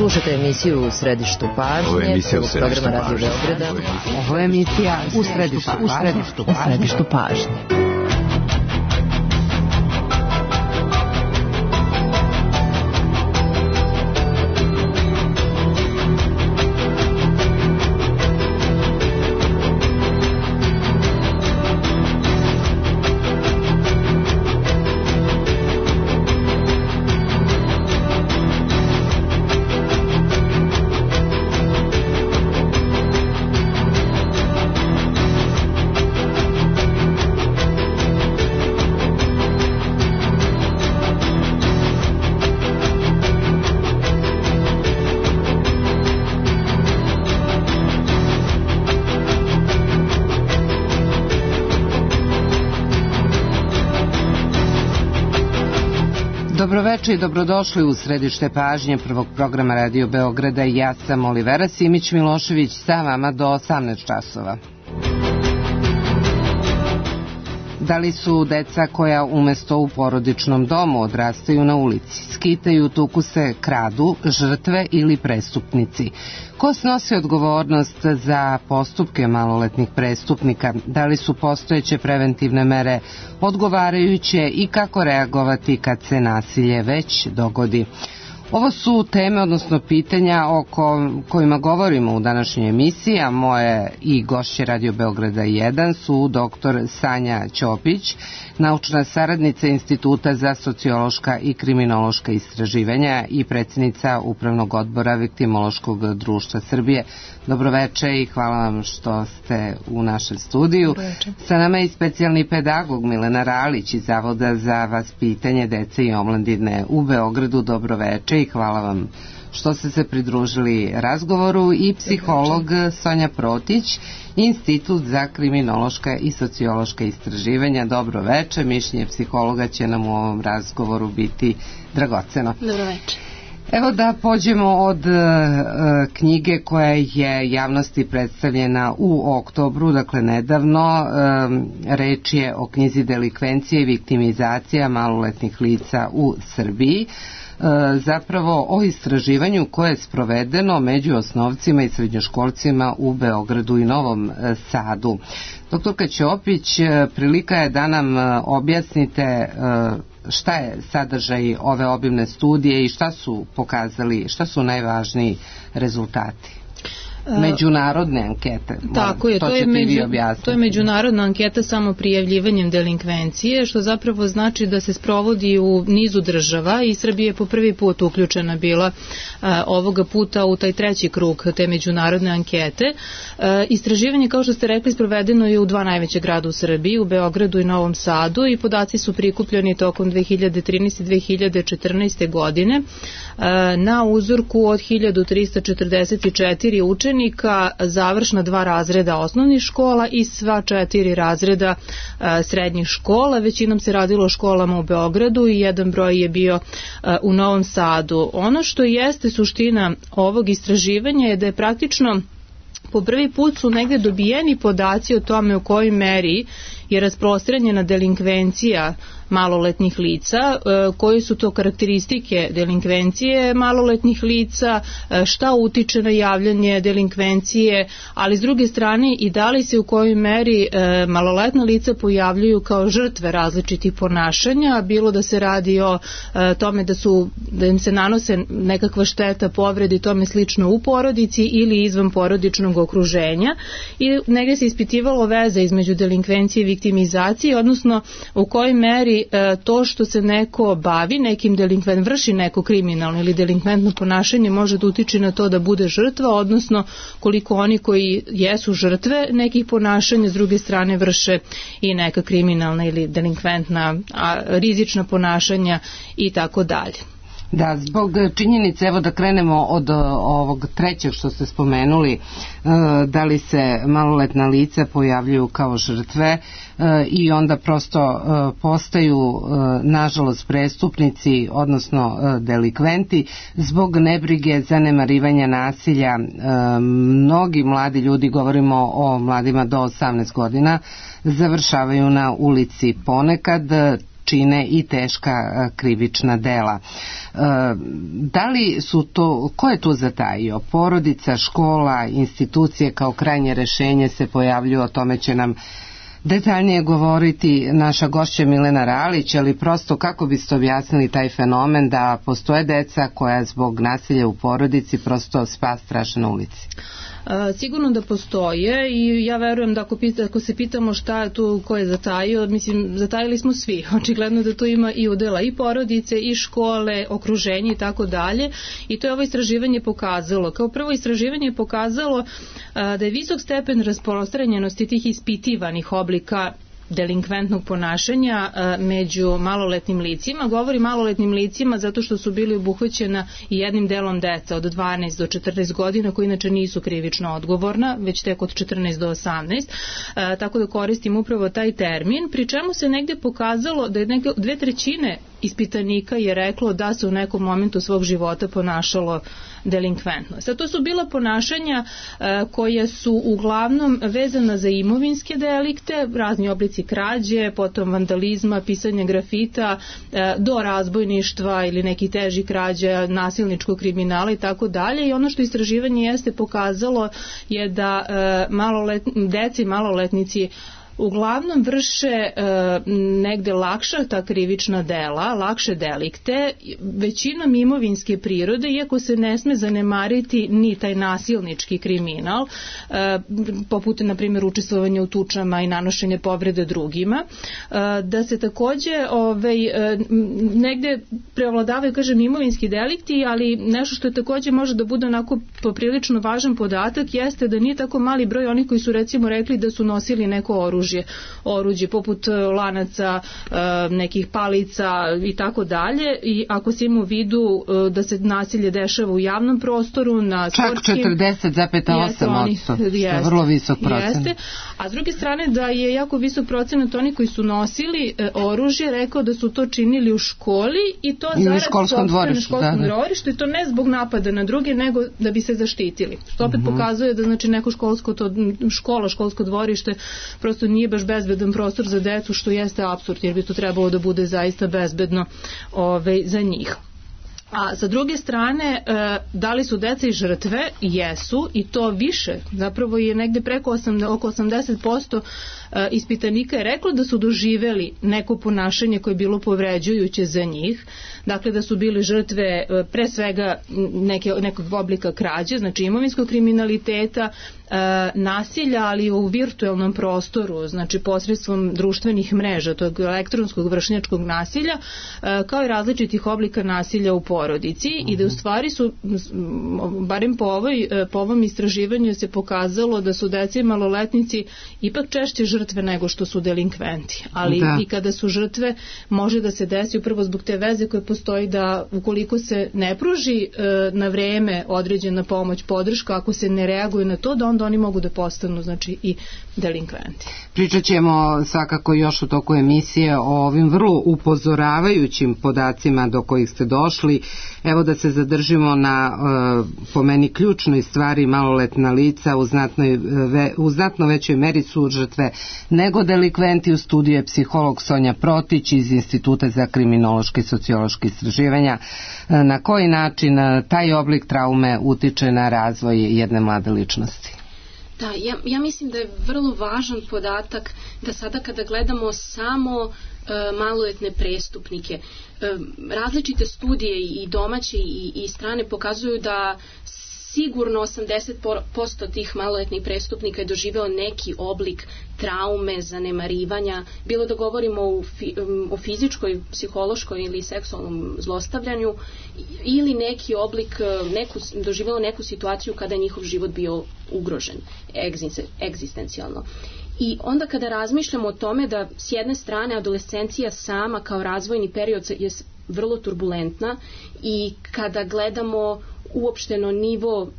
Slušajte emisiju U središtu pažnje. Ovo je emisija U središtu programa Radio Beograda. Ovo je emisija U središtu pažnje. Dobroveče i dobrodošli u središte pažnje prvog programa Radio Beograda. Ja sam Olivera Simić-Milošević, sa vama do 18 časova. Da li su deca koja umesto u porodičnom domu odrastaju na ulici, skitaju, tuku se, kradu, žrtve ili prestupnici? Ko snosi odgovornost za postupke maloletnih prestupnika? Da li su postojeće preventivne mere odgovarajuće i kako reagovati kad se nasilje već dogodi? Ovo su teme, odnosno pitanja o kojima govorimo u današnjoj emisiji, a moje i gošće Radio Beograda 1 su dr. Sanja Ćopić, naučna saradnica Instituta za sociološka i kriminološka istraživanja i predsjednica Upravnog odbora Viktimološkog društva Srbije. Dobroveče i hvala vam što ste u našem studiju. Sa nama je i specijalni pedagog Milena Ralić iz Zavoda za vaspitanje dece i omladine u Beogradu. Dobroveče i hvala vam što ste se pridružili razgovoru, i psiholog Sonja Protić, Institut za kriminološka i sociološka istraživanja. Dobroveče, mišljenje psihologa će nam u ovom razgovoru biti dragoceno. Dobroveče. Evo da pođemo od knjige koja je javnosti predstavljena u oktobru, dakle nedavno. Reč je o knjizi Delikvencije i viktimizacija maloletnih lica u Srbiji. Zapravo o istraživanju koje je sprovedeno među osnovcima i srednjoškolcima u Beogradu i Novom Sadu. Doktorka Ćopić, prilika je da nam objasnite šta je sadržaj ove obimne studije i šta su pokazali, šta su najvažniji rezultati međunarodne ankete. Tako je, to je međunarodna anketa samo prijavljivanjem delinkvencije, što zapravo znači da se sprovodi u nizu država i Srbija je po prvi put uključena bila ovoga puta u taj treći krug te međunarodne ankete. Istraživanje, kao što ste rekli, sprovedeno je u dva najveće grada u Srbiji, u Beogradu i Novom Sadu, i podaci su prikupljeni tokom 2013. i 2014. godine na uzorku od 1344 učenika, završna 2 razreda osnovnih škola i sva 4 razreda srednjih škola. Većinom se radilo o školama u Beogradu i jedan broj je bio u Novom Sadu. Ono što jeste suština ovog istraživanja je da je praktično po prvi put su negde dobijeni podaci o tome u kojoj meri je rasprostranjena delinkvencija maloletnih lica, koje su to karakteristike delinkvencije maloletnih lica, šta utiče na javljanje delinkvencije, ali s druge strane i da li se u kojoj meri maloletna lica pojavljuju kao žrtve različitih ponašanja, bilo da se radi o tome da im se nanose nekakva šteta, povrede i tome slično u porodici ili izvan porodičnog okruženja, i negdje se ispitivalo veza između delinkvencije i viktimizacije, odnosno u kojoj meri to što se neko bavi nekim vrši neko kriminalno ili delinkventno ponašanje može da utiče na to da bude žrtva, odnosno koliko oni koji jesu žrtve nekih ponašanja s druge strane vrše i neka kriminalna ili delinkventna rizična ponašanja i tako dalje. Da, zbog činjenice, evo da krenemo od ovog trećeg što ste spomenuli, da li se maloletna lica pojavljuju kao žrtve i onda prosto postaju nažalost prestupnici, odnosno delikventi, zbog nebrige, zanemarivanja, nasilja. Mnogi mladi ljudi, govorimo o mladima do 18 godina, završavaju na ulici. Ponekad čine i teška krivična dela. Da li su to, ko je tu zatajio? Porodica, škola, institucije kao krajnje rešenje se pojavljuju, o tome će nam detaljnije govoriti naša gošća Milena Ralić, ali prosto kako biste objasnili taj fenomen da postoje deca koja zbog nasilja u porodici prosto spas traže na ulici? Sigurno da postoje i ja verujem da ako se pitamo šta je tu, ko je zatajio, mislim, zatajili smo svi. Očigledno da tu ima i udela i porodice, i škole, okruženje i tako dalje. I to je ovo istraživanje pokazalo. Kao prvo istraživanje je pokazalo da je visok stepen rasprostranjenosti tih ispitivanih oblika delinkventnog ponašanja među maloletnim licima. Govori maloletnim licima zato što su bili obuhvaćena i jednim delom deca od 12 do 14 godina koji inače nisu krivično odgovorna, već tek od 14 do 18. Tako da koristim upravo taj termin, pri čemu se negde pokazalo da je 2/3 ispitanika je reklo da se u nekom momentu svog života ponašalo delinkventno. Sad to su bila ponašanja koja su uglavnom vezana za imovinske delikte, razni oblici krađe, potom vandalizma, pisanja grafita, do razbojništva ili nekih težih krađa, nasilničkog kriminala i tako dalje. I ono što istraživanje jeste pokazalo je da deci i maloletnici uglavnom vrše negde lakša ta krivična dela, lakše delikte, većinom imovinske prirode, iako se ne sme zanemariti ni taj nasilnički kriminal, poput, na primjer, učestvovanja u tučama i nanošenje povrede drugima, da se takođe negde prevladavaju, kažem, imovinski delikti, ali nešto što je takođe može da bude onako poprilično važan podatak jeste da nije tako mali broj onih koji su recimo rekli da su nosili neko oruđe poput lanaca, nekih palica i tako dalje, i ako se ima u vidu da se nasilje dešava u javnom prostoru, na sportskim... Čak 40,8%, vrlo visok procenat. Jeste, a s druge strane da je jako visok procenat oni koji su nosili oružje rekao da su to činili u školi i to zarad školskom dvorištu, i to ne zbog napada na druge, nego da bi se zaštitili. Što opet pokazuje da znači neko školsko dvorište prosto nije baš bezbedan prostor za decu, što jeste apsurd, jer bi to trebalo da bude zaista bezbedno za njih. A sa druge strane, da li su deca i žrtve? Jesu, i to više. Zapravo je negde oko 80% ispitanika je reklo da su doživeli neko ponašanje koje je bilo povređujuće za njih. Dakle, da su bili žrtve pre svega nekog oblika krađe, znači imovinskog kriminaliteta, nasilja, ali u virtuelnom prostoru, znači posredstvom društvenih mreža, tog elektronskog vršnjačkog nasilja, kao i različitih oblika nasilja u porodici, i da u stvari su, barem po ovom istraživanju se pokazalo da su deca i maloletnici ipak češće žrtve nego što su delinkventi. Ali i kada su žrtve, može da se desi upravo zbog te veze koje postoji da ukoliko se ne pruži na vreme određena pomoć, podrška, ako se ne reaguje na to, da onda oni mogu da postanu, znači, i delinkventi. Pričat ćemo svakako još u toku emisije o ovim vrlo upozoravajućim podacima do kojih ste došli. Evo da se zadržimo na, po meni, ključnoj stvari. Maloletna lica u znatno većoj meri su žrtve nego delikventi. U studiju je psiholog Sonja Protić iz Instituta za kriminološke i sociološke istraživanja. Na koji način taj oblik traume utiče na razvoj jedne mlade ličnosti? Da, ja mislim da je vrlo važan podatak da sada kada gledamo samo maloletne prestupnike, različite studije i domaće i strane pokazuju da sigurno 80% tih maloletnih prestupnika je doživeo neki oblik traume, zanemarivanja, bilo da govorimo o fizičkoj, psihološkoj ili seksualnom zlostavljanju, ili neki oblik, doživelo neku situaciju kada je njihov život bio ugrožen egzistencijalno. I onda kada razmišljamo o tome da s jedne strane adolescencija sama kao razvojni period je vrlo turbulentna, i kada gledamo uopšteno nivo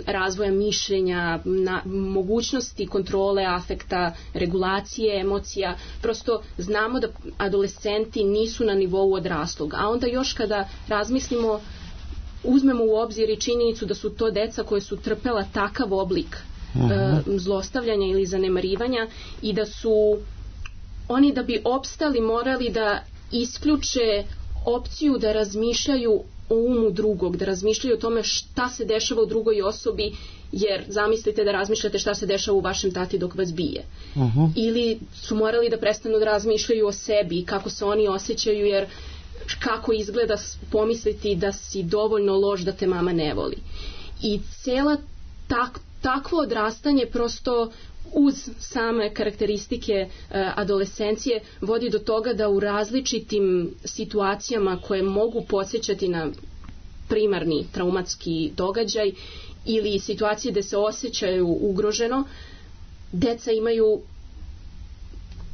razvoja mišljenja, mogućnosti kontrole afekta, regulacije emocija, prosto znamo da adolescenti nisu na nivou odraslog. A onda još kada razmislimo, uzmemo u obzir i činjenicu da su to deca koje su trpela takav oblik zlostavljanja ili zanemarivanja, i da su oni, da bi opstali, morali da isključe opciju da razmišljaju o umu drugog, da razmišljaju o tome šta se dešava u drugoj osobi, jer zamislite da razmišljate šta se dešava u vašem tati dok vas bije. Ili su morali da prestanu da razmišljaju o sebi i kako se oni osjećaju, jer kako izgleda pomisliti da si dovoljno loš da te mama ne voli. I cela takvo odrastanje prosto uz same karakteristike adolescencije vodi do toga da u različitim situacijama koje mogu podsjećati na primarni traumatski događaj ili situacije gde se osjećaju ugroženo, deca imaju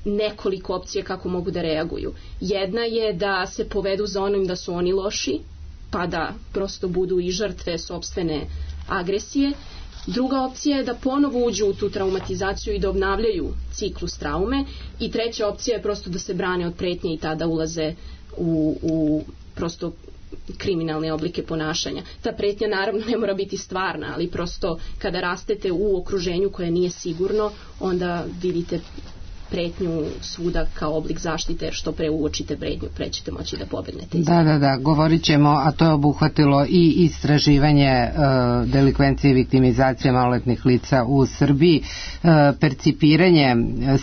nekoliko opcije kako mogu da reaguju. Jedna je da se povedu za onim da su oni loši, pa da prosto budu i žrtve sopstvene agresije. Druga opcija je da ponovo uđu u tu traumatizaciju i da obnavljaju ciklus traume. I treća opcija je prosto da se brane od pretnje i tada ulaze u prosto kriminalne oblike ponašanja. Ta pretnja naravno ne mora biti stvarna, ali prosto kada rastete u okruženju koje nije sigurno, onda vidite pretnju svuda kao oblik zaštite, jer što pre uočite pretnju, pre ćete moći da pobegnete. Da, govorit ćemo, a to je obuhvatilo i istraživanje delikvencije i viktimizacije maloletnih lica u Srbiji, percipiranje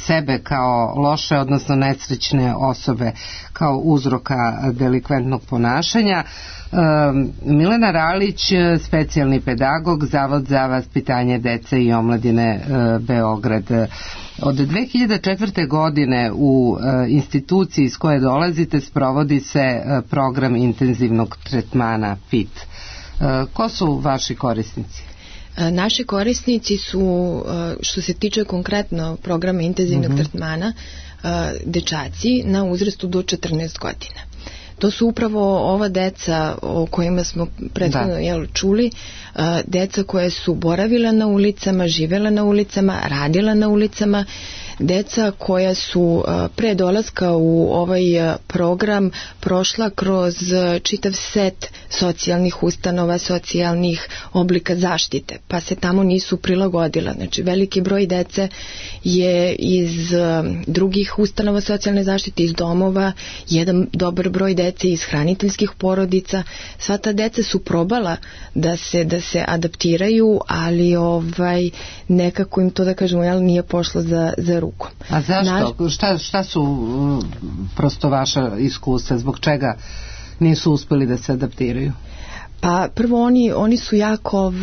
sebe kao loše, odnosno nesrećne osobe kao uzroka delikventnog ponašanja. Milena Ralić, specijalni pedagog, Zavod za vaspitanje dece i omladine Beograd. Od 2004. godine u instituciji iz koje dolazite sprovodi se program intenzivnog tretmana PIT. Ko su vaši korisnici? Naši korisnici su, što se tiče konkretno programa intenzivnog tretmana, dečaci na uzrastu do 14 godina. To su upravo ova deca o kojima smo prethodno čuli, deca koje su boravila na ulicama, živela na ulicama, radila na ulicama, deca koja su pre dolaska u ovaj program prošla kroz čitav set socijalnih ustanova, socijalnih oblika zaštite, pa se tamo nisu prilagodila. Znači, veliki broj dece je iz drugih ustanova socijalne zaštite, iz domova, jedan dobar broj dece iz hraniteljskih porodica. Sva ta deca su probala da se adaptiraju, ali nekako im to, da kažemo, nije pošlo za rukom. A zašto? Šta su prosto vaša iskustva? Zbog čega nisu uspeli da se adaptiraju? Pa prvo oni su jako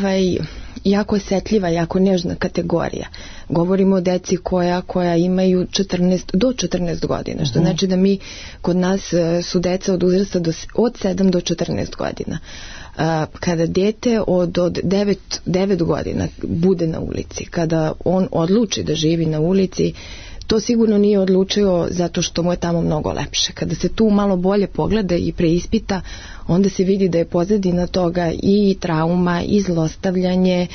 osetljiva, jako nežna kategorija. Govorimo o deci koja imaju do 14 godina, što znači da kod nas su deca od uzrasta od 7 do 14 godina. Kada dete od 9 godina bude na ulici, kada on odluči da živi na ulici, to sigurno nije odlučio zato što mu je tamo mnogo lepše. Kada se tu malo bolje pogleda i preispita, onda se vidi da je pozadina toga i trauma, i zlostavljanje,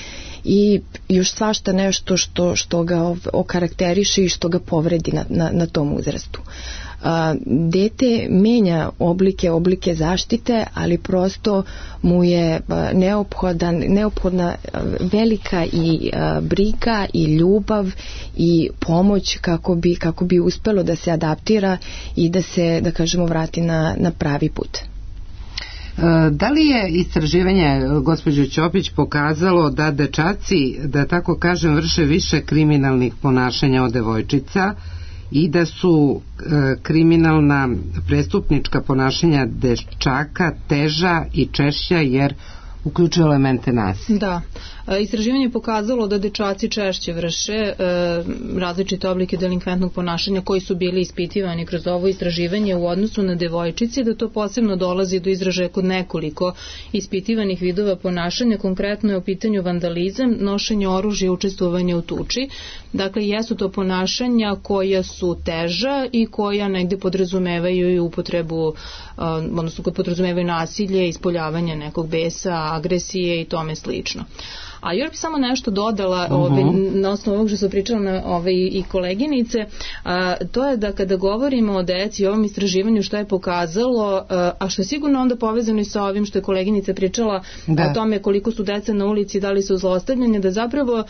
i još svašta nešto što ga okarakteriše i što ga povredi na tom uzrastu. Dete menja oblike zaštite, ali prosto mu je neophodna velika i briga i ljubav i pomoć kako bi uspelo da se adaptira i da se, da kažemo, vrati na pravi put. Da li je istraživanje, gospođo Ćopić, pokazalo da dečaci, da tako kažem, vrše više kriminalnih ponašanja od devojčica i da su kriminalna prestupnička ponašanja dečaka teža i češća jer uključuju elemente nasilja? Da. Istraživanje je pokazalo da dečaci češće vrše različite oblike delinkventnog ponašanja koji su bili ispitivani kroz ovo istraživanje u odnosu na devojčice, da to posebno dolazi do izražaja kod nekoliko ispitivanih vidova ponašanja. Konkretno je u pitanju vandalizam, nošenje oružja i učestvovanje u tuči. Dakle, jesu to ponašanja koja su teža i koja negde podrazumevaju i upotrebu, odnosno podrazumevaju nasilje, ispoljavanje nekog besa, agresije i tome slično. A još bi samo nešto dodala na osnovu ovog što su pričala i koleginice, to je da kada govorimo o deci i ovom istraživanju što je pokazalo, a što je sigurno onda povezano i sa ovim što je koleginica pričala o tome koliko su deca na ulici, da li su zlostavljanje, da zapravo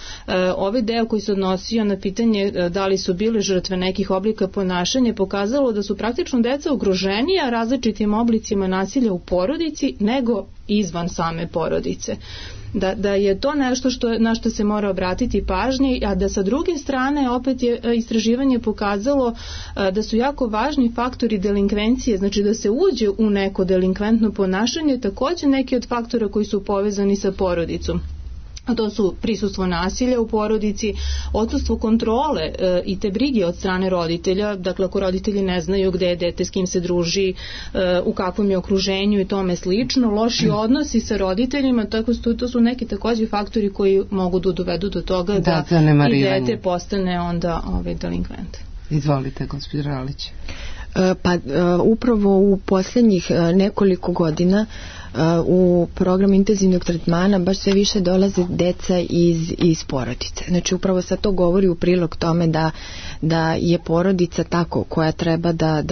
ovaj deo koji se odnosio na pitanje da li su bile žrtve nekih oblika ponašanja pokazalo da su praktično deca ugroženija različitim oblicima nasilja u porodici nego izvan same porodice. Da je to nešto na što se mora obratiti pažnje, a da sa druge strane opet je istraživanje pokazalo da su jako važni faktori delinkvencije, znači da se uđe u neko delinkventno ponašanje, također neki od faktora koji su povezani sa porodicom. A to su prisustvo nasilja u porodici, odsustvo kontrole i te brige od strane roditelja, dakle ako roditelji ne znaju gde je dete, s kim se druži, u kakvom je okruženju i tome slično, loši odnosi sa roditeljima, tako to su neki također faktori koji mogu da dovedu do toga da i dete postane onda delinkvent. Izvolite, gospođo Ralić. Pa upravo u posljednjih nekoliko godina u program intenzivnog tretmana baš sve više dolaze deca iz porodice. Znači upravo sad to govori u prilog tome da je porodica tako koja treba da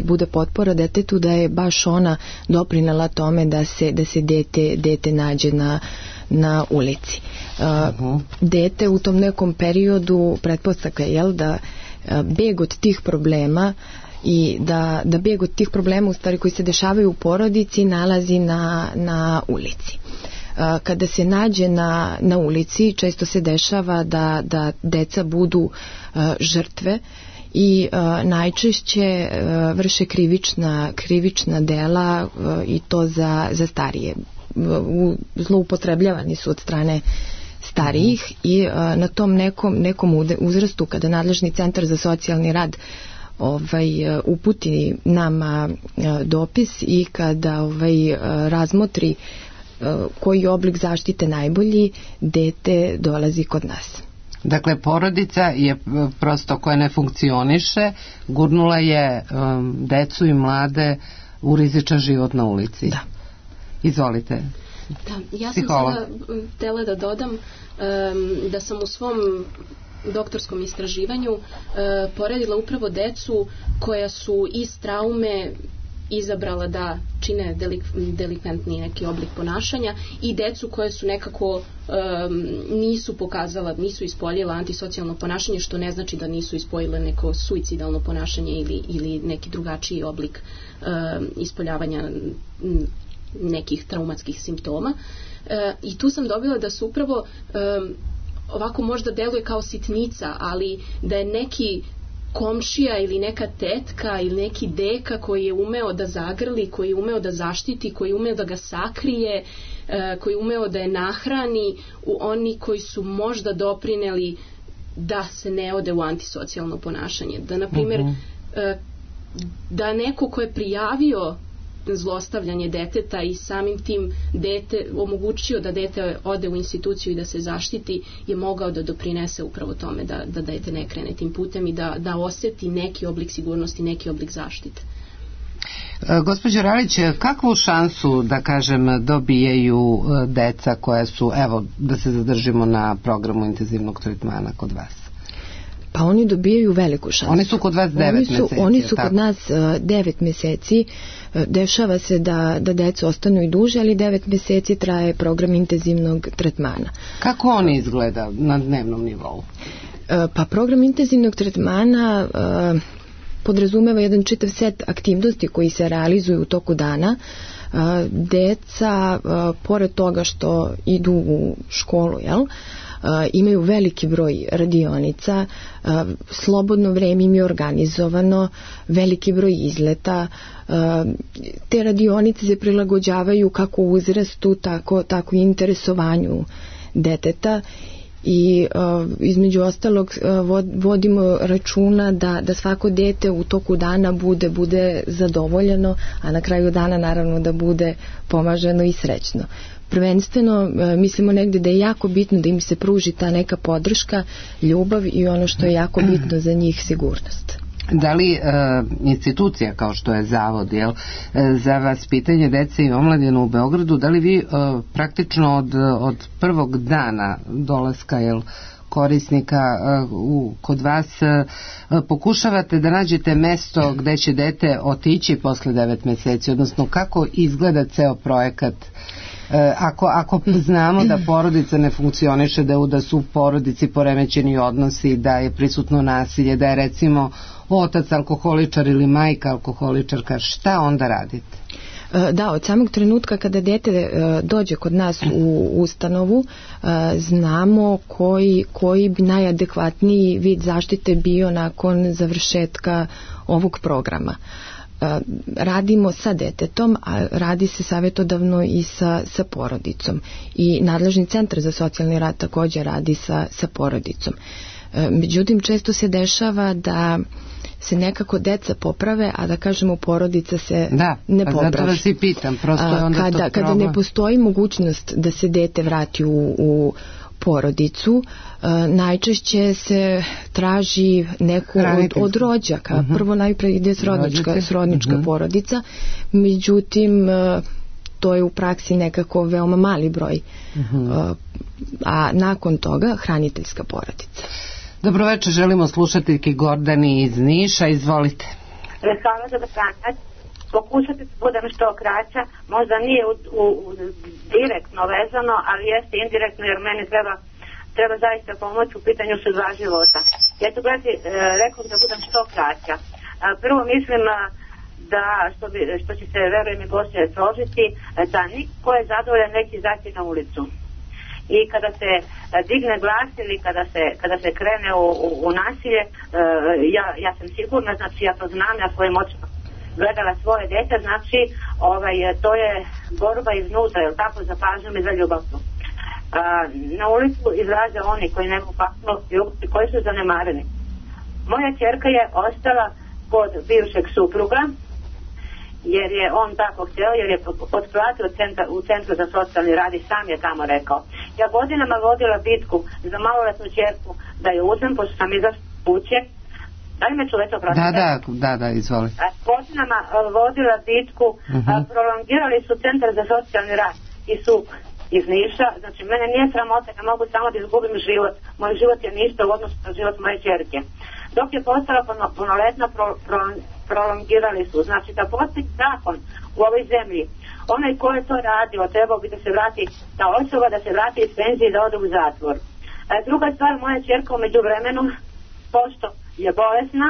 bude potpora detetu, da je baš ona doprinela tome da se dete nađe na ulici. Dete u tom nekom periodu pretpostavka je da beg od tih problema i da beg od tih problema u stvari koji se dešavaju u porodici nalazi na ulici. Kada se nađe na ulici često se dešava da deca budu žrtve i najčešće vrše krivična dela i to za starije. Zloupotrebljavani su od strane starijih i na tom nekom uzrastu kada nadležni centar za socijalni rad uputi nama dopis i kada razmotri koji oblik zaštite najbolji, dete dolazi kod nas. Dakle, porodica je prosto koja ne funkcioniše, gurnula je decu i mlade u rizičan život na ulici. Da. Izvolite. Da, ja sam sada htjela da dodam da sam u svom doktorskom istraživanju poredila upravo decu koja su iz traume izabrala da čine delikventni neki oblik ponašanja i decu koje su nekako nisu ispoljila antisocijalno ponašanje, što ne znači da nisu ispoljile neko suicidalno ponašanje ili neki drugačiji oblik ispoljavanja nekih traumatskih simptoma. I tu sam dobila da su upravo ovako možda deluje kao sitnica, ali da je neki komšija ili neka tetka ili neki deka koji je umeo da zagrli, koji je umeo da zaštiti, koji je umeo da ga sakrije, koji je umeo da je nahrani, oni koji su možda doprineli da se ne ode u antisocijalno ponašanje. Da, na primjer, da neko ko je prijavio zlostavljanje deteta i samim tim omogućio da dete ode u instituciju i da se zaštiti, je mogao da doprinese upravo tome da dete ne krene tim putem i da osjeti neki oblik sigurnosti, neki oblik zaštite. Gospođo Ralić, kakvu šansu, da kažem, dobijaju deca koja su, evo, da se zadržimo na programu intenzivnog tretmana kod vas? Pa oni dobijaju veliku šansu. Oni su kod vas 9 meseci. Oni su kod nas 9 meseci. Dešava se da deca ostanu i duže, ali 9 meseci traje program intenzivnog tretmana. Kako on izgleda na dnevnom nivou? Pa program intenzivnog tretmana podrazumeva jedan čitav set aktivnosti koji se realizuju u toku dana. Deca, pored toga što idu u školu, imaju veliki broj radionica, slobodno vreme im je organizovano, veliki broj izleta. Te radionice se prilagođavaju kako uzrastu, tako i interesovanju deteta i između ostalog vodimo računa da svako dete u toku dana bude zadovoljeno, a na kraju dana naravno da bude pomaženo i srećno. Prvenstveno mislimo negde da je jako bitno da im se pruži ta neka podrška, ljubav i ono što je jako bitno za njih, sigurnost. Da li institucija kao što je Zavod za vaspitanje dece i omladine u Beogradu, da li vi praktično od prvog dana dolaska korisnika kod vas pokušavate da nađete mesto gde će dete otići posle 9 meseci, odnosno kako izgleda ceo projekat? Ako znamo da porodica ne funkcioniše, da su u porodici poremećeni odnosi, da je prisutno nasilje, da je recimo otac alkoholičar ili majka alkoholičarka, šta onda radite? Da, od samog trenutka kada dete dođe kod nas u ustanovu, znamo koji bi najadekvatniji vid zaštite bio nakon završetka ovog programa. Radimo sa detetom, a radi se savjetodavno i sa porodicom. I nadležni centar za socijalni rad također radi sa porodicom. Međutim, često se dešava da se nekako deca poprave, a da kažemo porodica se ne popravi. Zato vas i pitam, prosto je onda kada ne postoji mogućnost da se dete vrati u porodicu, najčešće se traži neku od rođaka. Prvo najpre ide srodnička porodica, međutim to je u praksi nekako veoma mali broj, a nakon toga hraniteljska porodica. Dobroveče, želimo slušateljki Gordani iz Niša, izvolite. Hvala za danas. Pokušati da budem što kraća, možda nije direktno vezano, ali jeste indirektno, jer meni treba zaista pomoć u pitanju su 2 života. Ja ću gledati, rekao da budem što kraća. Prvo mislim da, što će se, verujem i gošće složiti, da niko je zadovoljan neki izaći na ulicu. I kada se digne glas ili kada se krene u nasilje, ja sam sigurna, znači ja to znam, ja svojim očima gledala svoje dete, znači to je borba iznutra, jel tako, za pažnjom i za ljubavnu. Na ulicu izlaze oni koji nemaju paklo i koji su zanemareni. Moja ćerka je ostala kod bivšeg supruga, jer je on tako htio, jer je otplatio u centru za socijalni rad i sam je tamo rekao. Ja godinama vodila bitku za maloletnu ćerku da je uzmem, pošto sam izašla kuće. Da li me čujete, oprostite? Da, izvolite. Godinama vodila bitku, prolongirali su centar za socijalni rad i SUP iz Niša. Znači, mene nije sramota, ja mogu samo da izgubim život. Moj život je ništa u odnosu na život moje ćerke. Dok je postala punoletna, prolongirali su. Znači, da postoji zakon u ovoj zemlji, onaj ko je to radio, trebao bi da se vrati, ta osoba da se vrati iz penzije i da ode u zatvor. Druga stvar, moja ćerka u međuvremenu, pošto je bolesna,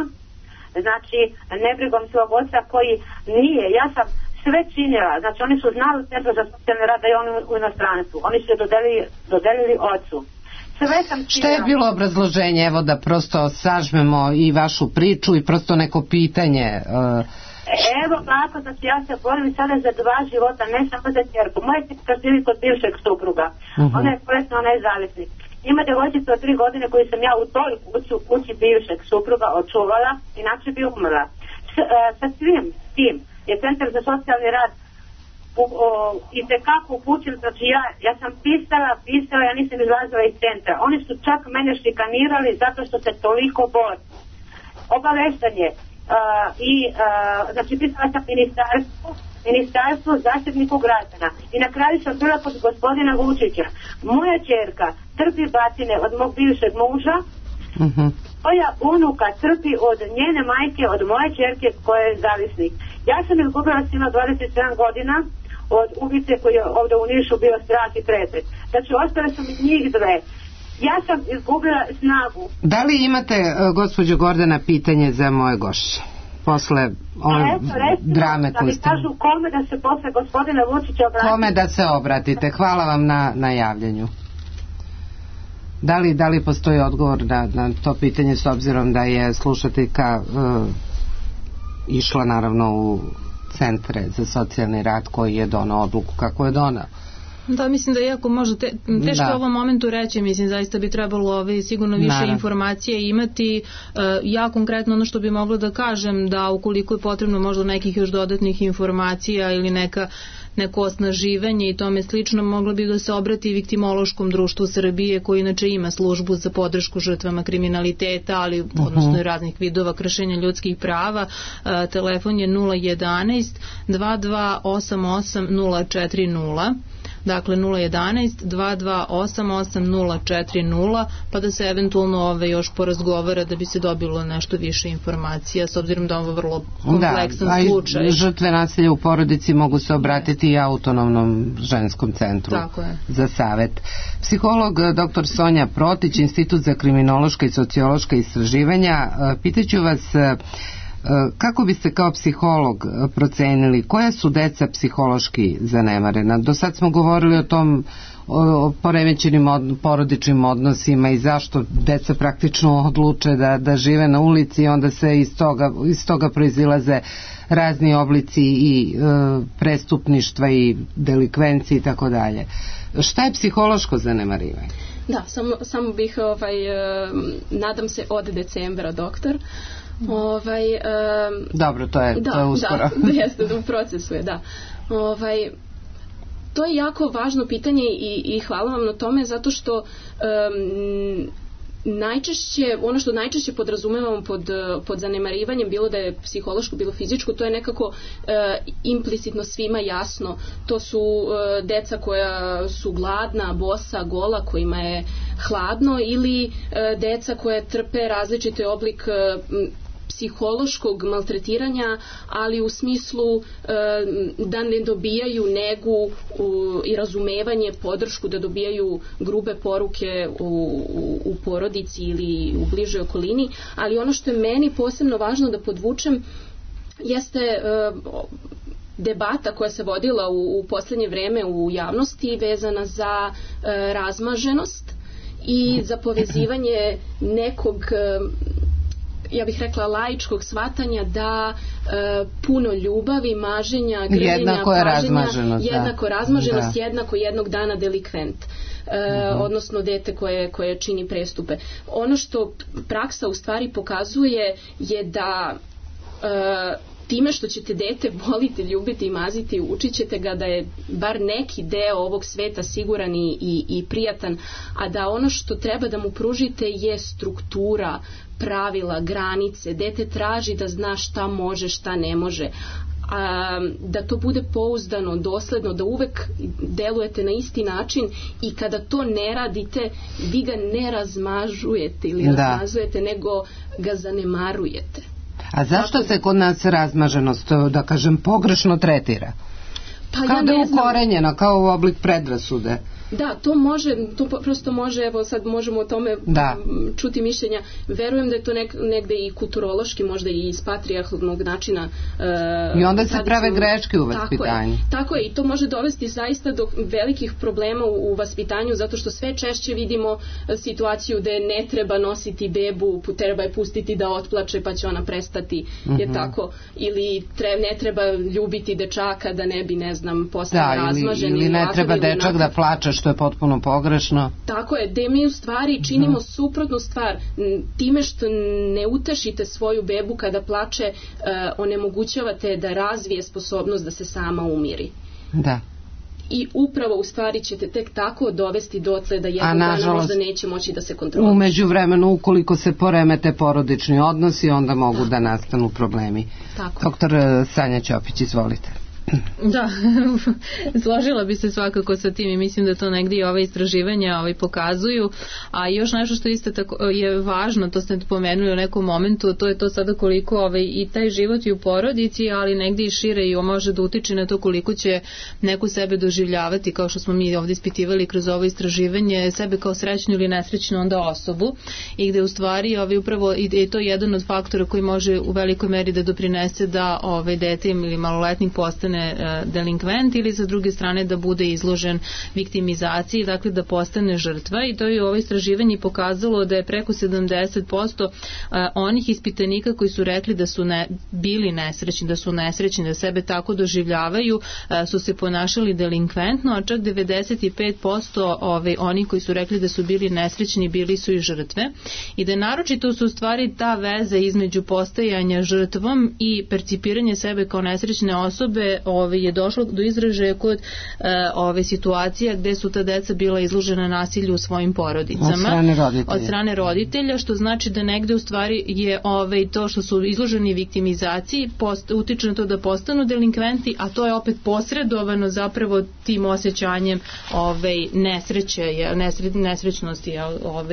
znači nebrigom svog oca koji nije, ja sam sve činila, znači oni su znali u centru za socijalni rad da je on u inostranstvu, oni su je dodelili ocu. Sve sam činila. Šta je bilo obrazloženje, evo da prosto sažmemo i vašu priču i prosto neko pitanje? Evo tako, znači ja se borim sada za 2 života, ne samo za ćerku. Moja ćerka živi kod bivšeg supruga, ona je bolesna, ona je zavisnik. Ima devojčica od 3 godine koju sam ja u toj kući bivšeg supruga očuvala, inače bi umrla. Sa svim tim je centar za socijalni rad i tekako upućen, znači ja sam pisala, ja nisam izlazila iz centra. Oni su čak mene šikanirali zato što se toliko bori. Obaveštanje znači pisala sam ministarstvu, zaštitniku građana i na kraju sam bila kod gospodina Vučića. Moja ćerka trpi batine od mog bivšeg muža, moja unuka trpi od njene majke, od moje ćerke koja je zavisnik. Ja sam izgubila sina 27 godina od ubice koji je ovdje u Nišu bio strah i trepet. Znači ostale su mi njih 2. Ja sam izgubila snagu. Da li imate, gospođo Gordana, pitanje za moje gošće? Posle ove drame koju ste... Da mi kažu kome da se posle gospodina Vučića obratite. Kome da se obratite. Hvala vam na javljanju. Da li postoji odgovor na to pitanje, s obzirom da je slušateljka išla naravno u centre za socijalni rad koji je donao odluku kako je donao? Da, mislim da je jako možda teško u ovom momentu reći, mislim zaista bi trebalo sigurno više informacije imati. Ja konkretno ono što bi mogla da kažem da ukoliko je potrebno možda nekih još dodatnih informacija ili neko osnaživanje i tome slično, moglo bi da se obrati Viktimološkom društvu Srbije koji inače ima službu za podršku žrtvama kriminaliteta, ali odnosno i raznih vidova kršenja ljudskih prava. Telefon je 011 2288 040. Dakle 011 2288 040, pa da se eventualno još porazgovara da bi se dobilo nešto više informacija, s obzirom da ovo vrlo kompleksan slučaj. Žrtve nasilja u porodici mogu se obratiti i autonomnom ženskom centru za savet. Psiholog dr. Sonja Protić, Institut za kriminološka i sociološka istraživanja, pitaću vas kako biste kao psiholog procenili koja su deca psihološki zanemarena? Do sad smo govorili o tom poremećenim porodičnim odnosima i zašto deca praktično odluče da žive na ulici i onda se iz toga proizilaze razni oblici i prestupništva i delikvencije i tako dalje. Šta je psihološko zanemarivanje? Da, samo bih nadam se od decembra, doktor. Dobro, to je uskoro. Da, jeste, u procesu je, da. To je jako važno pitanje i hvala vam na tome, zato što ono što najčešće podrazumevamo pod zanemarivanjem, bilo da je psihološko, bilo fizičko, to je nekako implicitno svima jasno. To su deca koja su gladna, bosa, gola, kojima je hladno, ili deca koje trpe različite oblik psihološkog maltretiranja, ali u smislu da ne dobijaju negu i razumevanje, podršku, da dobijaju grube poruke u porodici ili u bližoj okolini. Ali ono što je meni posebno važno da podvučem jeste debata koja se vodila u poslednje vreme u javnosti vezana za razmaženost i za povezivanje nekog, ja bih rekla, laičkog shvatanja da puno ljubavi, maženja, grljenja, paženja, jednako razmaženost, jednako jednog dana delikvent. Odnosno dete koje čini prestupe. Ono što praksa u stvari pokazuje je da time što ćete dete voliti, ljubiti i maziti, učit ćete ga da je bar neki deo ovog sveta siguran i prijatan, a da ono što treba da mu pružite je struktura, pravila, granice. Dete traži da zna šta može, šta ne može. Da to bude pouzdano, dosledno, da uvek delujete na isti način i kada to ne radite, vi ga ne razmažujete ili razmazujete, nego ga zanemarujete. A zašto se kod nas razmaženost, da kažem, pogrešno tretira? Kao da je ukorenjena, kao oblik predrasude. Da, to prosto može, evo sad možemo o tome čuti mišljenja. Verujem da je to negde i kulturološki, možda i iz patrijarhalnog načina. I onda se prave greške u vaspitanju. Tako je, i to može dovesti zaista do velikih problema u vaspitanju, zato što sve češće vidimo situaciju da ne treba nositi bebu, treba je pustiti da otplače pa će ona prestati, je tako, ili ne treba ljubiti dečaka da ne bi, ne znam, postao razmažen. Ili ne treba dečak da plače, što je potpuno pogrešno. Tako je, da mi u stvari činimo suprotnu stvar. Time što ne utešite svoju bebu kada plače, onemogućavate da razvije sposobnost da se sama umiri. Da. I upravo u stvari ćete tek tako dovesti dotle da jednog dana možda neće moći da se kontroliše. U međuvremenu, ukoliko se poremete porodični odnosi, onda mogu da nastanu problemi. Tako. Doktor Sanja Ćopić, izvolite. Da, složila bi se svakako sa tim i mislim da to negdje i ove istraživanja pokazuju, a još nešto što isto tako je važno, to ste pomenuli u nekom momentu, to je to sada koliko i taj život i u porodici, ali negdje i šire i može da utiče na to koliko će neko sebe doživljavati, kao što smo mi ovdje ispitivali kroz ovo istraživanje, sebe kao srećnu ili nesrećnu onda osobu, i gde u stvari upravo i to je jedan od faktora koji može u velikoj meri da doprinese da dete ili maloletnik postane postane delinkvent ili sa druge strane da bude izložen viktimizaciji, dakle da postane žrtva, i to je ovo istraživanje pokazalo da je preko 70% onih ispitanika koji su rekli da su bili nesrećni, da sebe tako doživljavaju, su se ponašali delinkventno, a čak 95% onih koji su rekli da su bili nesrećni bili su i žrtve, i da naročito su u stvari ta veza između postajanja žrtvom i percipiranje sebe kao nesrećne osobe je došlo do izražaja kod situacija gde su ta deca bila izložena nasilju u svojim porodicama od strane roditelja, što znači da negde u stvari je to što su izloženi viktimizaciji utiče na to da postanu delinkventi, a to je opet posredovano zapravo tim osjećanjem nesrećnosti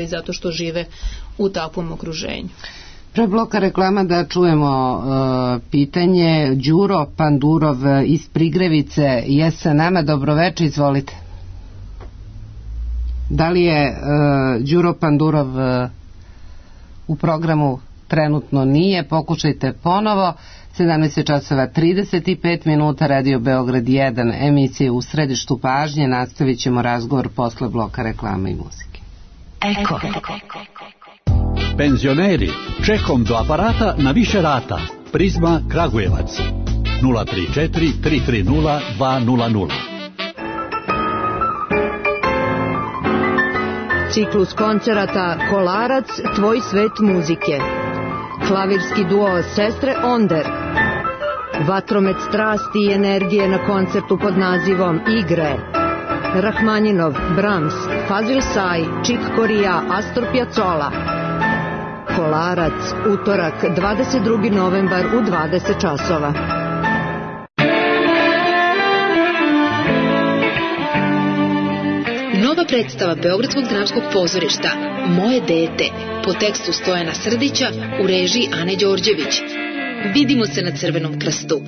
zato što žive u takvom okruženju. Pre bloka reklama da čujemo pitanje. Đuro Pandurov iz Prigrevice je sa nama. Dobroveče, izvolite. Da li je Đuro Pandurov u programu? Trenutno nije, pokušajte ponovo. 17:35, Radio Beograd 1, emisije U središtu pažnje. Nastavit ćemo razgovor posle bloka reklama i muzike. Eko. Penzioneri, čekom do aparata na više rata. Prizma Kragujevac 034 330 200. Ciklus koncerata Kolarac, tvoj svet muzike. Klavirski duo Sestre Onder. Vatromet strasti i energije na koncertu pod nazivom Igre. Rahmaninov, Brahms, Fazil Say, Chick Corea, Astor Piazzolla. Kolarac, utorak, 22. novembar u 20 časova. Nova predstava Beogradskog dramskog pozorišta Moje dete, po tekstu Stojana Srdića, u režiji Ane Đorđević. Vidimo se na Crvenom krstu.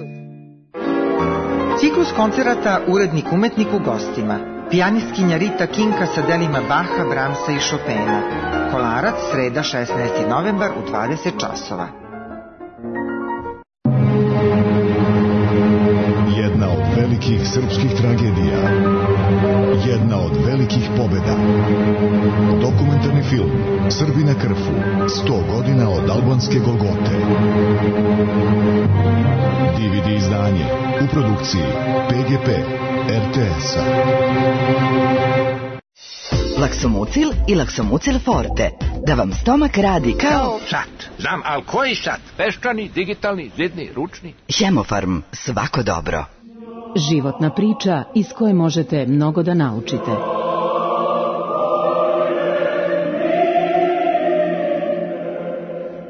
Ciklus koncerata Urednik umetnik u gostima. Pijanistkinja Rita Kinka sa delima Baha, Brahmsa i Chopina. Kolarac, sreda 16. novembar u 20 časova. Jedna od velikih srpskih tragedija. Jedna od velikih pobeda. Dokumentarni film Srbi na Krfu. 100 godina od albanske Golgote. DVD izdanje u produkciji PGP RTS-a. Laksomucil i Laksomucil Forte. Da vam stomak radi kao... Sat. Znam, ali koji sat? Peščani, digitalni, zidni, ručni? Hemofarm. Svako dobro. Životna priča iz koje možete mnogo da naučite.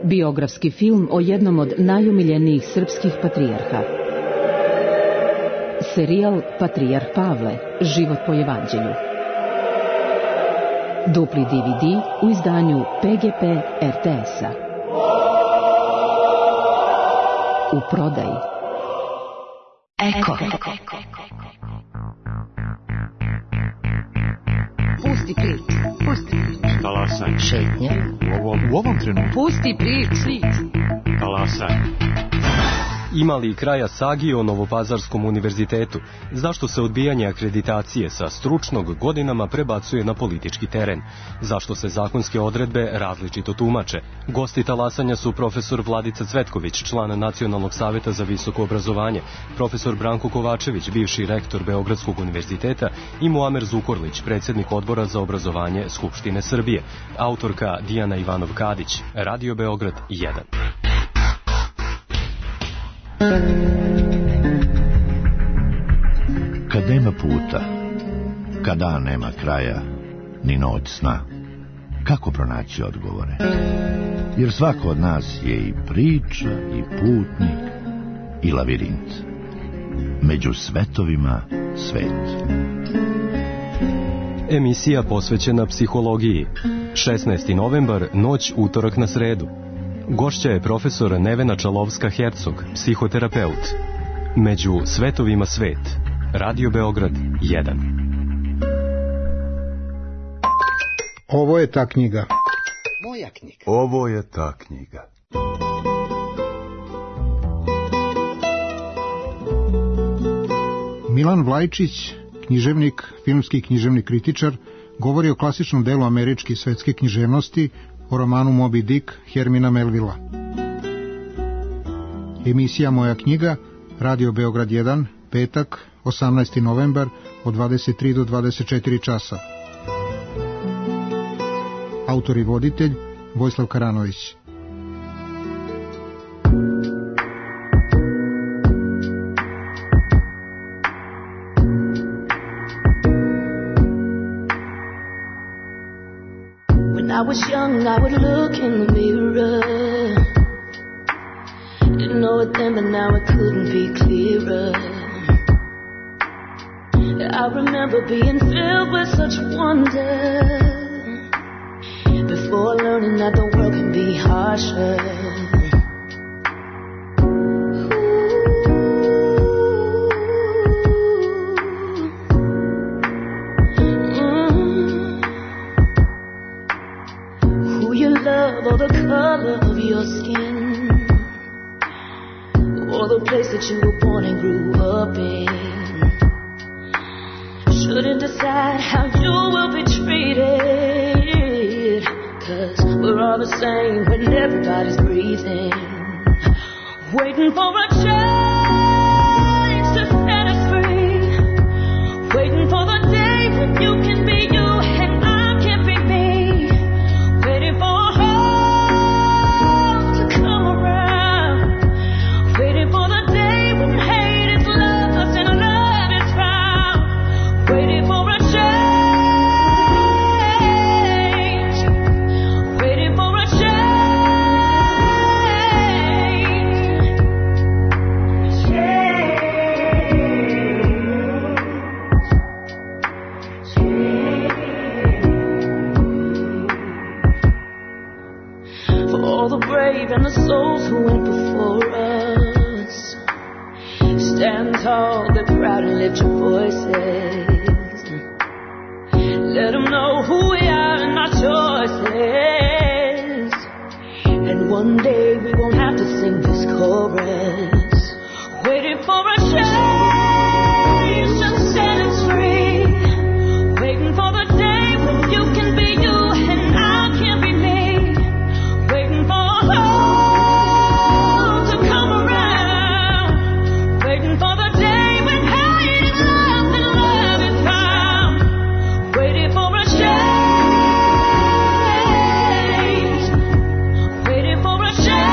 Biografski film o jednom od najomiljenijih srpskih patrijarha. Serijal Patrijarh Pavle, život po evanđelju. Dupli DVD u izdanju PGP RTS-a. U prodaji. Eko. Pusti prič. Talasaj. Šetnja. U ovom trenutku. Pusti prič. Talasaj. Ima li kraja sagi o Novopazarskom univerzitetu? Zašto se odbijanje akreditacije sa stručnog godinama prebacuje na politički teren? Zašto se zakonske odredbe različito tumače? Gosti talasanja su profesor Vladica Cvetković, član Nacionalnog saveta za visoko obrazovanje, profesor Branko Kovačević, bivši rektor Beogradskog univerziteta, i Muamer Zukorlić, predsjednik odbora za obrazovanje Skupštine Srbije, autorka Dijana Ivanov-Kadić, Radio Beograd 1. Kad nema puta, kad dan nema kraja, ni noć sna, kako pronaći odgovore? Jer svako od nas je i priča, i putnik, i lavirint. Među svetovima svet. Emisija posvećena psihologiji. 16. novembar, noć utorak na sredu. Gošća je profesor Nevena Čalovska-Hercog, psihoterapeut. Među svetovima svet. Radio Beograd 1. Ovo je ta knjiga. Moja knjiga. Ovo je ta knjiga. Milan Vlajčić, književnik, filmski književni kritičar, govori o klasičnom delu američke i svetske književnosti, o romanu Moby Dick Hermina Melvilla. Emisija Moja knjiga, Radio Beograd 1, petak, 18. novembar, od 23 do 24 časa. Autor i voditelj Vojislav Karanović. When I was young, I would look in the mirror. Didn't know it then, but now it couldn't be clearer. I remember being filled with such wonder before learning that the world can be harsher. Who you love or the color of your skin, or the place that you were born and grew up in, shouldn't decide how you will be treated, 'cause we're all the same when everybody's breathing, waiting for a change to set us free, waiting for the day when you can be you and I can be me, waiting for a home to come around, waiting for the day when hate is lost and love is found, waiting for a change, waiting for a change. For all the brave and the souls who went before us, stand tall, be proud and lift your voices. Let them know who we are and our choices. And one day we won't have to sing this chorus, waiting for a change to set us free, waiting for the day when you can be you and I can be me, waiting for hope to come around, waiting for the day when hate is lost and love is found, waiting for a change, waiting for a change,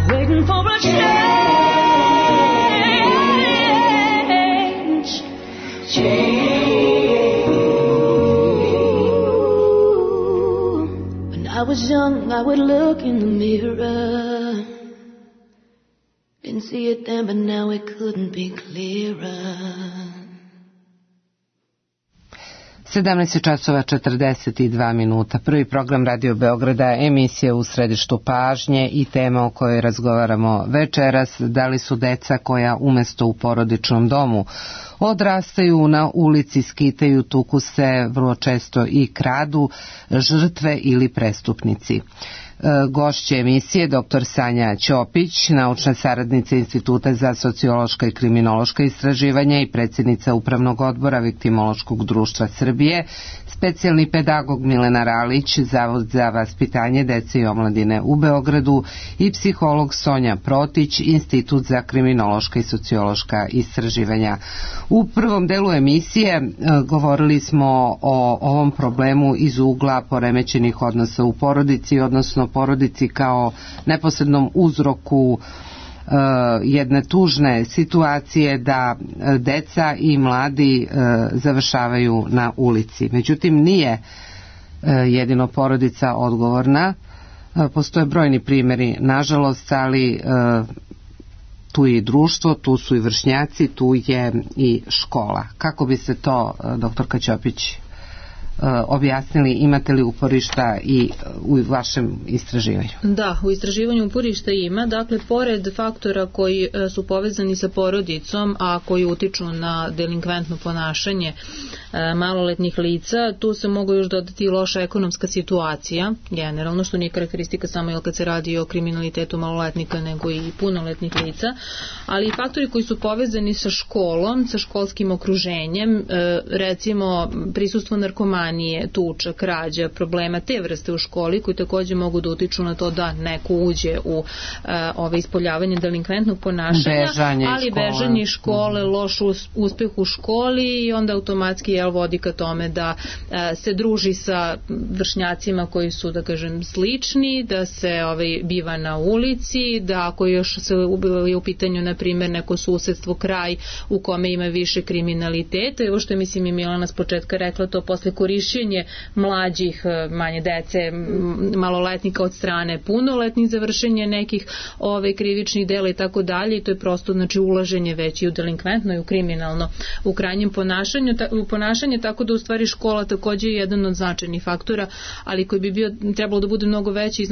waiting for a change. When I was young, I would look in the mirror. Didn't see it then, but now it couldn't be clearer. 17 časova 42 minuta. Prvi program Radio Beograda, emisija U središtu pažnje i tema o kojoj razgovaramo večeras, da li su deca koja umesto u porodičnom domu odrastaju na ulici, skitaju, tuku se, vrlo često i kradu, žrtve ili prestupnici. Gošće emisije dr. Sanja Ćopić, naučna saradnica Instituta za sociološka i kriminološka istraživanja i predsjednica Upravnog odbora Viktimološkog društva Srbije, specijalni pedagog Milena Ralić, Zavod za vaspitanje dece i omladine u Beogradu i psiholog Sonja Protić, Institut za kriminološka i sociološka istraživanja. U prvom delu emisije govorili smo o ovom problemu iz ugla poremećenih odnosa u porodici, odnosno porodici kao neposrednom uzroku jedne tužne situacije da deca i mladi završavaju na ulici. Međutim, nije jedino porodica odgovorna. Postoje brojni primjeri, nažalost, ali tu je i društvo, tu su i vršnjaci, tu je i škola. Kako bi se to, doktorka Ćopić, objasnili, imate li uporišta i u vašem istraživanju? Da, u istraživanju uporišta ima, dakle, pored faktora koji su povezani sa porodicom, a koji utiču na delinkventno ponašanje maloletnih lica, tu se mogu još dodati i loša ekonomska situacija, generalno, što nije karakteristika samo kad se radi o kriminalitetu maloletnika, nego i punoletnih lica, ali i faktori koji su povezani sa školom, sa školskim okruženjem, recimo prisustvo narkomanije, tuča, krađa, problema te vrste u školi, koji takođe mogu da utiču na to da neko uđe u ispoljavanje delinkventnog ponašanja, ali bežanje iz škole, loš uspeh u školi i onda automatski vodi ka tome da se druži sa vršnjacima koji su, da kažem, slični, da se biva na ulici, da ako još se je u pitanju, na primjer, neko susedstvo, kraj u kome ima više kriminaliteta, i ovo što je, mislim, i Milana s početka rekla, to posle korišćenje mlađih, manje dece, maloletnika od strane punoletnih za vršenje nekih krivičnih dela i tako dalje, i to je prosto, znači, ulaženje već i u delinkventno i u kriminalno u krajnjem ponašanje, tako da u stvari škola takođe je jedan od značajnih faktora, ali koji bi trebalo da bude mnogo veći i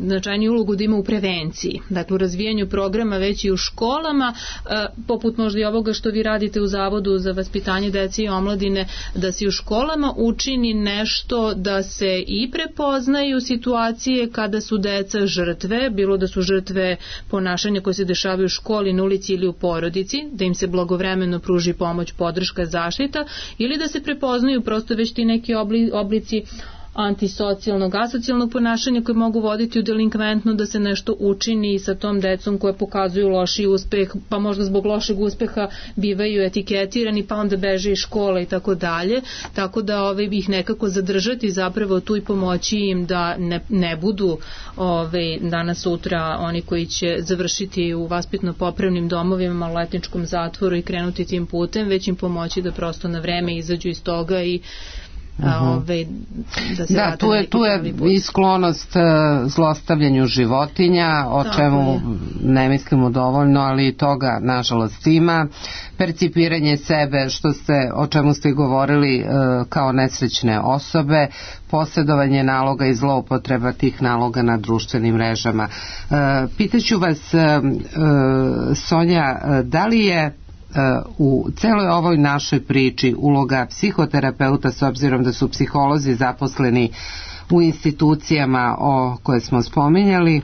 značajniji ulogu da ima u prevenciji, dakle u razvijanju programa već i u školama, poput možda i ovoga što vi radite u Zavodu za vaspitanje dece i omladine, da se u školama učini nešto da se i prepoznaju situacije kada su deca žrtve, bilo da su žrtve ponašanja koje se dešavaju u školi, na ulici ili u porodici, da im se blagovremeno pruži pomoć, podrška, zaštita, ili da se prepoznaju prosto već ti neki oblici antisocijalnog, asocijalnog ponašanja koje mogu voditi u delinkventno, da se nešto učini sa tom decom koje pokazuju loši uspeh, pa možda zbog lošeg uspeha bivaju etiketirani, pa onda beže iz škole i tako dalje, tako da ih nekako zadržati zapravo tu i pomoći im da ne budu danas sutra oni koji će završiti u vaspitno-popravnim domovima, maloletničkom zatvoru i krenuti tim putem, već im pomoći da prosto na vreme izađu iz toga i da tu je i sklonost zlostavljanju životinja, o čemu ne mislimo dovoljno, ali i toga nažalost ima, percipiranje sebe, o čemu ste govorili, kao nesrećne osobe, posjedovanje naloga i zloupotreba tih naloga na društvenim mrežama. Pitaću vas, Sonja, da li je u celoj ovoj našoj priči uloga psihoterapeuta, s obzirom da su psiholozi zaposleni u institucijama o koje smo spominjali,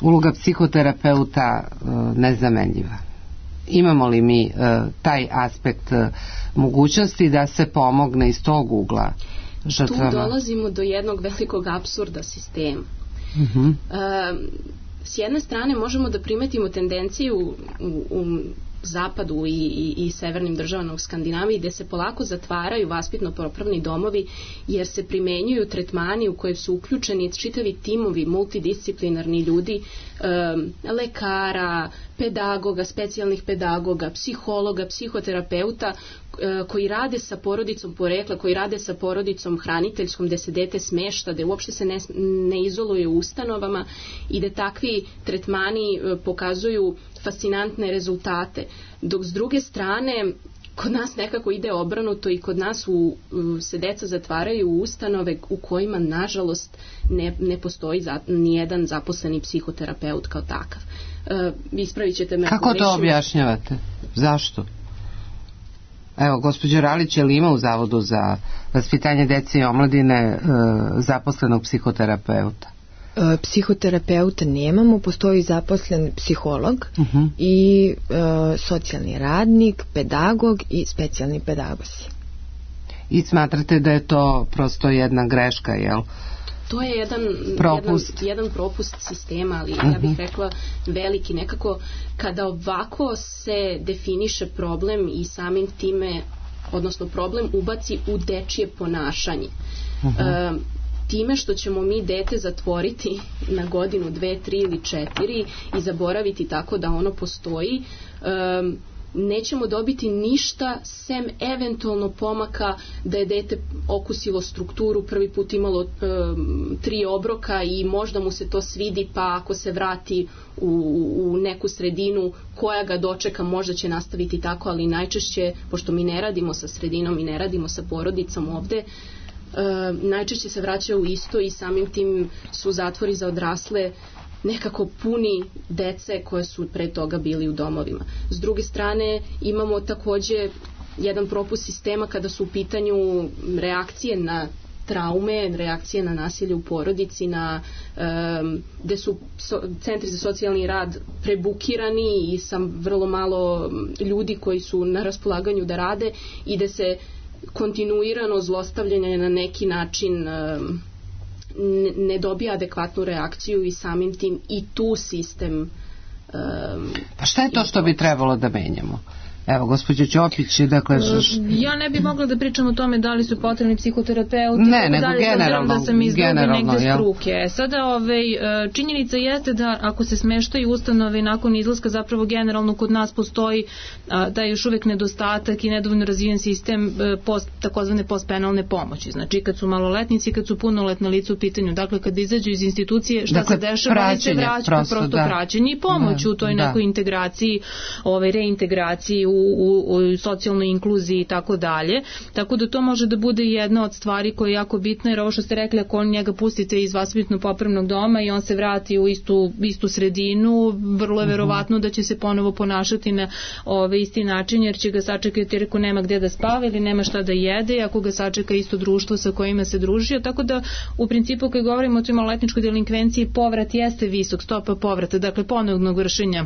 uloga psihoterapeuta nezamenljiva? Imamo li mi taj aspekt mogućnosti da se pomogne iz tog ugla žrtvama? Tu dolazimo do jednog velikog apsurda sistema. S jedne strane možemo da primetimo tendenciju u zapadu i severnim državama u Skandinaviji, gde se polako zatvaraju vaspitno-popravni domovi, jer se primenjuju tretmani u koje su uključeni čitavi timovi multidisciplinarni ljudi, lekara, pedagoga, specijalnih pedagoga, psihologa, psihoterapeuta, koji rade sa porodicom porekla, koji rade sa porodicom hraniteljskom, gde se dete smešta, gde uopšte se ne izoluje u ustanovama i da takvi tretmani pokazuju fascinantne rezultate. Dok s druge strane, kod nas nekako ide obrnuto i kod nas se deca zatvaraju u ustanove u kojima, nažalost, ne postoji nijedan zaposleni psihoterapeut kao takav. Ispravit ćete me. Kako to objašnjavate? Zašto? Evo, gospođo Ralić, je li ima u Zavodu za vaspitanje dece i omladine zaposlenog psihoterapeuta? Psihoterapeuta nemamo, postoji zaposlen psiholog i socijalni radnik, pedagog i specijalni pedagozi. I smatrate da je to prosto jedna greška, jel? To je jedan propust sistema, ali ja bih rekla veliki. Nekako kada ovako se definiše problem i samim time, odnosno problem ubaci u dečije ponašanje, time što ćemo mi dete zatvoriti na godinu, 2, 3 ili 4 i zaboraviti tako da ono postoji, nećemo dobiti ništa sem eventualno pomaka da je dete okusilo strukturu, prvi put imalo 3 obroka i možda mu se to svidi, pa ako se vrati u neku sredinu koja ga dočeka, možda će nastaviti tako, ali najčešće, pošto mi ne radimo sa sredinom i ne radimo sa porodicom ovde, najčešće se vraćaju u isto i samim tim su zatvori za odrasle nekako puni dece koje su pre toga bili u domovima. S druge strane, imamo takođe jedan propust sistema kada su u pitanju reakcije na traume, reakcije na nasilje u porodici, gde su centri za socijalni rad prebukirani i sa vrlo malo ljudi koji su na raspolaganju da rade i da se kontinuirano zlostavljanje na neki način ne dobija adekvatnu reakciju i samim tim i tu sistem... Pa šta je to što bi trebalo da menjamo? Evo, gospođo Ćopić, dakle... Ja ne bih mogla da pričam o tome da li su potrebni psihoterapeuti, ne, nego generalno, da sam iz negde struke. Sada, činjenica jeste da ako se smeštaju ustanove nakon izlaska, zapravo generalno kod nas postoji da je još uvek nedostatak i nedovoljno razvijen sistem takozvane postpenalne pomoći. Znači, kad su maloletnici, kad su punoletna lica u pitanju, dakle, kad izađu iz institucije, šta se dešava, oni se vraćaju, prosto praćenje i pomoć u toj nekoj integraciji, reintegraciji, u socijalnoj inkluziji i tako dalje. Tako da to može da bude jedna od stvari koja je jako bitna, jer ovo što ste rekli, ako njega pustite iz vaspitno-popravnog doma i on se vrati u istu sredinu, vrlo je verovatno da će se ponovo ponašati na isti način, jer će ga sačekati jer ako nema gde da spava ili nema šta da jede, ako ga sačeka isto društvo sa kojima se družio. Tako da u principu kad govorimo o toj maloletničkoj delinkvenciji, povrat jeste visok, stopa povrata, dakle ponovnog vršenja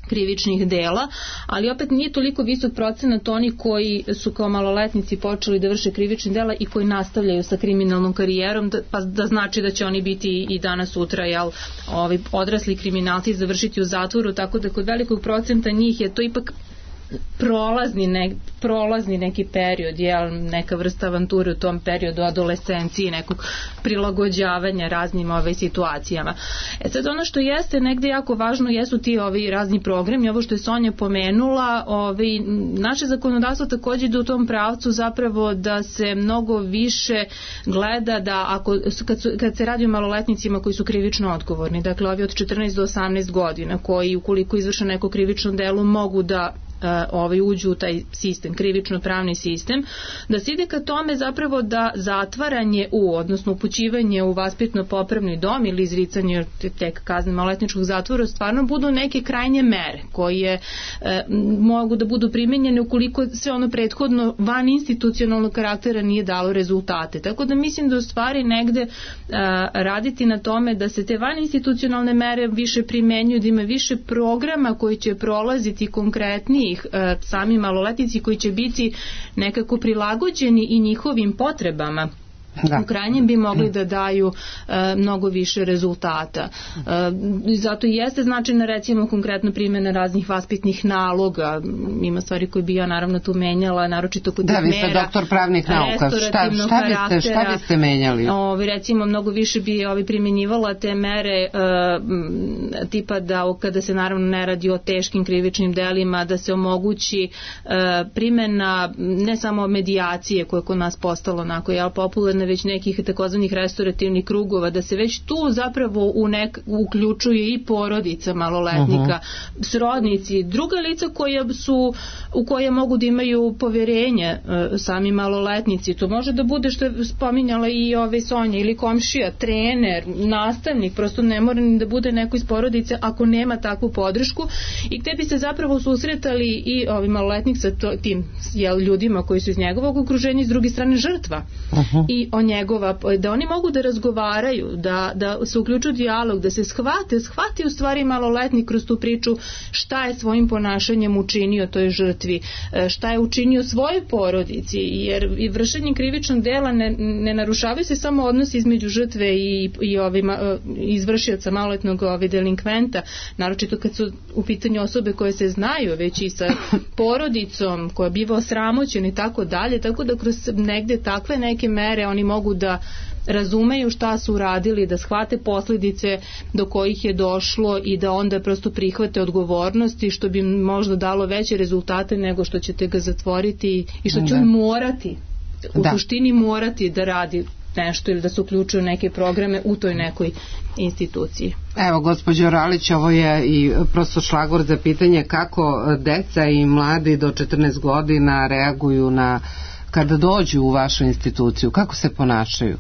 krivičnih dela, ali opet nije toliko visok procenat oni koji su kao maloletnici počeli da vrše krivične dela i koji nastavljaju sa kriminalnom karijerom, pa da znači da će oni biti i danas sutra odrasli kriminalci završiti u zatvoru, tako da kod velikog procenta njih je to ipak prolazni neki period, neka vrsta avanture u tom periodu adolescencije, nekog prilagođavanja raznim situacijama. Sad ono što jeste negde jako važno jesu ti razni programi, ovo što je Sonja pomenula, naše zakonodavstvo takođe ide u tom pravcu zapravo da se mnogo više gleda da kad se radi o maloletnicima koji su krivično odgovorni, dakle ovi od 14 do 18 godina koji ukoliko izvrše neko krivično delo mogu da uđu u taj sistem, krivično-pravni sistem, da se ide ka tome zapravo da zatvaranje odnosno upućivanje u vaspitno-popravni dom ili izricanje tek kazne maloletničkog zatvora stvarno budu neke krajnje mere koje mogu da budu primenjene ukoliko se ono prethodno van institucionalnog karaktera nije dalo rezultate. Tako da mislim da u stvari negde raditi na tome da se te van institucionalne mere više primenjuju, da ima više programa koji će prolaziti konkretniji sami maloletnici koji će biti nekako prilagođeni i njihovim potrebama. U krajnjem bi mogli da daju mnogo više rezultata. Zato i jeste značajna recimo konkretno primjena raznih vaspitnih naloga. Ima stvari koje bi ja naravno tu menjala, naročito kod mera. Da, vi ste doktor pravnih nauka. Šta biste menjali? Recimo mnogo više bi primjenjivala te mere tipa da kada se naravno ne radi o teškim krivičnim delima, da se omogući primjena ne samo medijacije koja je kod nas postala onako popularna, već nekih takozvanih restaurativnih krugova, da se već tu zapravo uključuje i porodica maloletnika, srodnici, druga lica u koje mogu da imaju poverenje sami maloletnici. To može da bude, što je spominjala i Sonja, ili komšija, trener, nastavnik, prosto ne mora ni da bude neko iz porodice ako nema takvu podršku, i gde bi se zapravo susretali i maloletnik sa tim ljudima koji su iz njegovog okruženja, s druge strane žrtva i da oni mogu da razgovaraju, da se uključuju dijalog, da se shvati u stvari maloletnik kroz tu priču šta je svojim ponašanjem učinio toj žrtvi, šta je učinio svojoj porodici, jer i vršenjem krivičnog dela ne narušavaju se samo odnosi između žrtve i izvršioca maloletnog delinkventa, naročito kad su u pitanju osobe koje se znaju, već i sa porodicom koja biva osramoćena i tako dalje, tako da kroz negde takve neke mere oni mogu da razumeju šta su uradili, da shvate posljedice do kojih je došlo i da onda prosto prihvate odgovornosti, što bi možda dalo veće rezultate nego što ćete ga zatvoriti i što će on morati, u suštini morati da radi nešto ili da se uključuju neke programe u toj nekoj instituciji. Evo, gospođo Ralić, ovo je i prosto šlagvor za pitanje kako deca i mladi do 14 godina reaguju kada dođu u vašu instituciju, kako se ponašaju?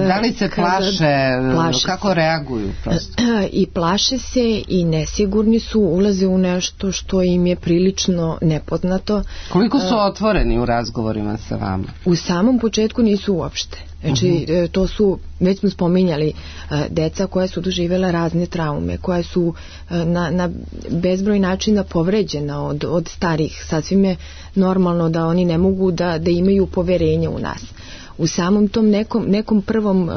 Da li se plaše, kako reaguju prosto? I plaše se i nesigurni su, ulaze u nešto što im je prilično nepoznato. Koliko su otvoreni u razgovorima sa vama? U samom početku nisu uopšte. Znači, to su, već smo spominjali, deca koja su doživjela razne traume, koja su na bezbroj načina povređena od starih. Sasvim je normalno da oni ne mogu da imaju poverenje u nas. U samom tom nekom prvom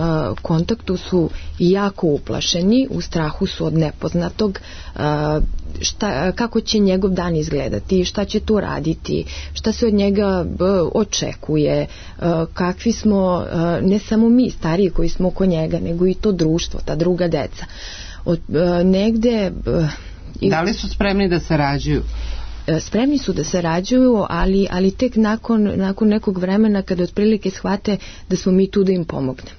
kontaktu su jako uplašeni, u strahu su od nepoznatog, kako će njegov dan izgledati, šta će tu raditi, šta se od njega očekuje, kakvi smo, ne samo mi stariji koji smo oko njega, nego i to društvo, ta druga deca. Negde... Da li su spremni da sarađuju? Spremni su da sarađuju, ali tek nakon nekog vremena kada otprilike shvate da smo mi tu da im pomognemo.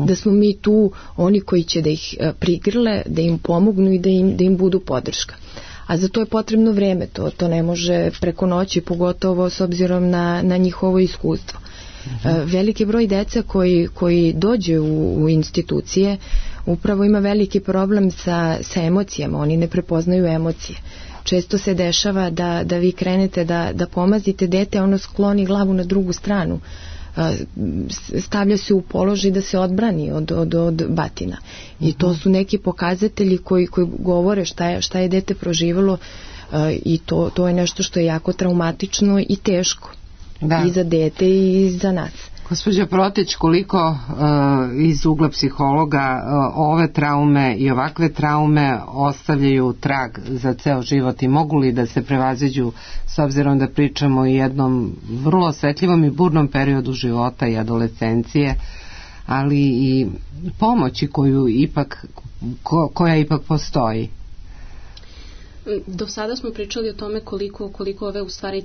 Da smo mi tu oni koji će da ih prigrle, da im pomognu i da im budu podrška. A za to je potrebno vreme, to ne može preko noći, pogotovo s obzirom na njihovo iskustvo. Veliki broj deca koji dođe u institucije upravo ima veliki problem sa emocijama, oni ne prepoznaju emocije. Često se dešava da vi krenete da pomazite dete, ono skloni glavu na drugu stranu, stavlja se u položaj da se odbrani od batina. I to su neki pokazatelji koji govore šta je dete proživalo, i to je nešto što je jako traumatično i teško. I za dete i za nas. Gospođo Protić, koliko iz ugla psihologa ove traume i ovakve traume ostavljaju trag za ceo život i mogu li da se prevaziđu, s obzirom da pričamo o jednom vrlo osjetljivom i burnom periodu života i adolescencije, ali i pomoći koja ipak postoji? Do sada smo pričali o tome koliko ove u stvari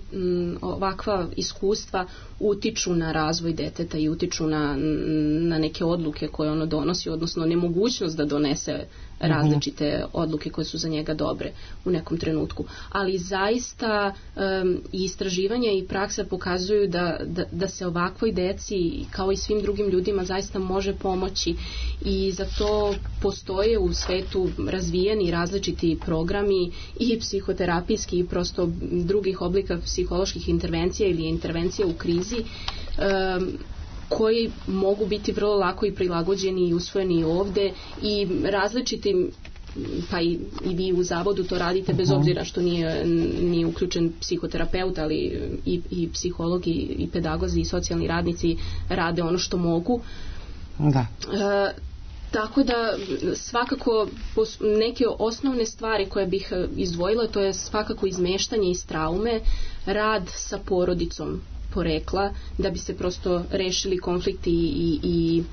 ovakva iskustva utiču na razvoj deteta i utiču na neke odluke koje ono donosi, odnosno nemogućnost da donese različite odluke koje su za njega dobre u nekom trenutku. Ali zaista i istraživanja i praksa pokazuju da se ovakvoj deci kao i svim drugim ljudima zaista može pomoći, i za to postoje u svetu razvijeni različiti programi i psihoterapijski i prosto drugih oblika psiholoških intervencija ili intervencija u krizi, koji mogu biti vrlo lako i prilagođeni i usvojeni ovde, i različitim, pa i vi u zavodu to radite bez obzira što nije uključen psihoterapeut, ali i psihologi i pedagozi i socijalni radnici rade ono što mogu. Da. Tako da svakako neke osnovne stvari koje bih izdvojila, to je svakako izmeštanje iz traume, rad sa porodicom porekla, da bi se prosto rešili konflikti i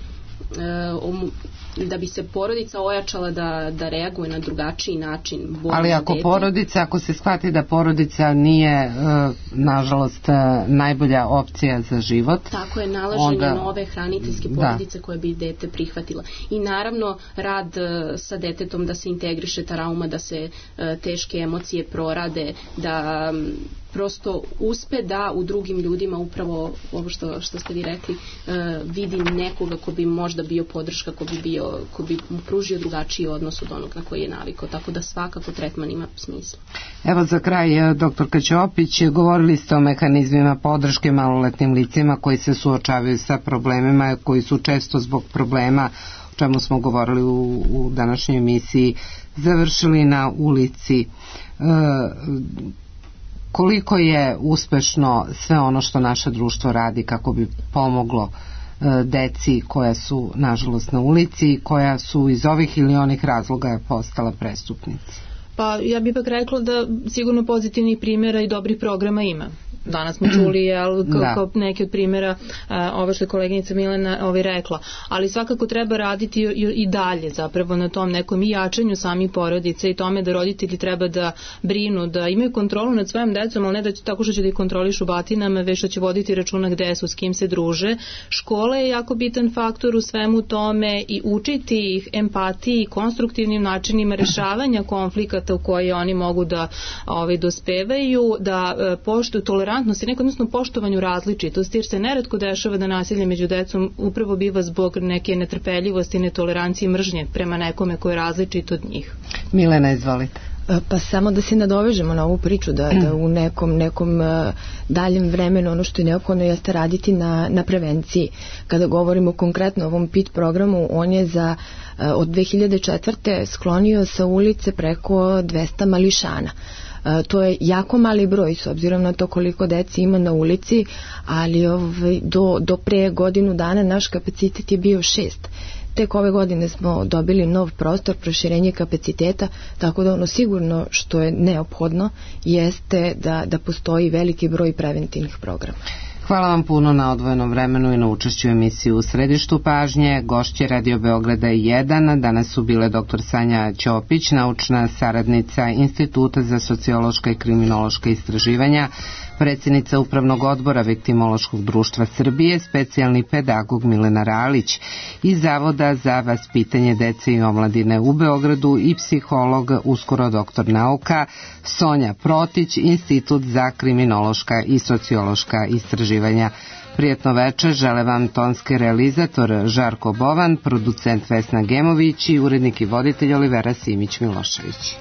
da bi se porodica ojačala da reaguje na drugačiji način. Ali ako se shvati da porodica nije nažalost najbolja opcija za život, tako je nalaženje nove hraniteljske porodice koje bi dete prihvatila. I naravno rad sa detetom, da se integriše trauma, da se teške emocije prorade, da prosto uspe da u drugim ljudima upravo ovo što ste vi rekli, vidi nekoga ko bi možda bio podrška, ko bi mu pružio drugačiji odnos od onog na koji je navikao, tako da svakako tretman ima smisla. Evo za kraj, doktorka Ćopić, govorili ste o mehanizmima podrške maloletnim licima koji se suočavaju sa problemima, koji su često zbog problema, o čemu smo govorili u današnjoj emisiji, završili na ulici. Koliko je uspešno sve ono što naše društvo radi kako bi pomoglo deci koja su nažalost na ulici i koja su iz ovih ili onih razloga postala prestupnici? Pa ja bih ipak rekla da sigurno pozitivnih primjera i dobrih programa ima. danas smo čuli kao neki od primjera ovo što je koleginica Milena rekla, ali svakako treba raditi i dalje zapravo na tom nekom i jačanju samih porodica i tome da roditelji treba da brinu, da imaju kontrolu nad svojim decom, ali ne da tako što će da ih kontrolišu batinama, već što će voditi računa gde su, s kim se druže. Škola je jako bitan faktor u svemu tome i učiti ih empatiji i konstruktivnim načinima rešavanja konflikata u koje oni mogu da dospevaju, da poštuju tolerantnost i odnosno poštovanju različitosti, jer se neretko dešava da nasilje među decom upravo biva zbog neke netrpeljivosti, netolerancije i mržnje prema nekome ko je različit od njih. Milena, izvolite. Pa samo da se nadovežemo na ovu priču, da u nekom daljem vremenu ono što je neophodno jeste raditi na prevenciji. Kada govorimo konkretno o ovom PIT programu, on je od 2004. sklonio sa ulice preko 200 mališana. To je jako mali broj s obzirom na to koliko deci ima na ulici, ali do pre godinu dana naš kapacitet je bio 6. Tek ove godine smo dobili nov prostor, proširenje kapaciteta, tako da ono sigurno što je neophodno jeste da postoji veliki broj preventivnih programa. Hvala vam puno na odvojenom vremenu i na učešću u emisiji U središtu pažnje. Gošće Radio Beograda 1 danas su bile dr. Sanja Ćopić, naučna saradnica Instituta za sociološka i kriminološka istraživanja, predsjednica Upravnog odbora Viktimološkog društva Srbije, specijalni pedagog Milena Ralić iz Zavoda za vaspitanje dece i omladine u Beogradu i psiholog, uskoro doktor nauka, Sonja Protić, Institut za kriminološka i sociološka istraživanja. Prijetno večer žele vam tonski realizator Žarko Bovan, producent Vesna Gemović i urednik i voditelj Olivera Simić-Milošević.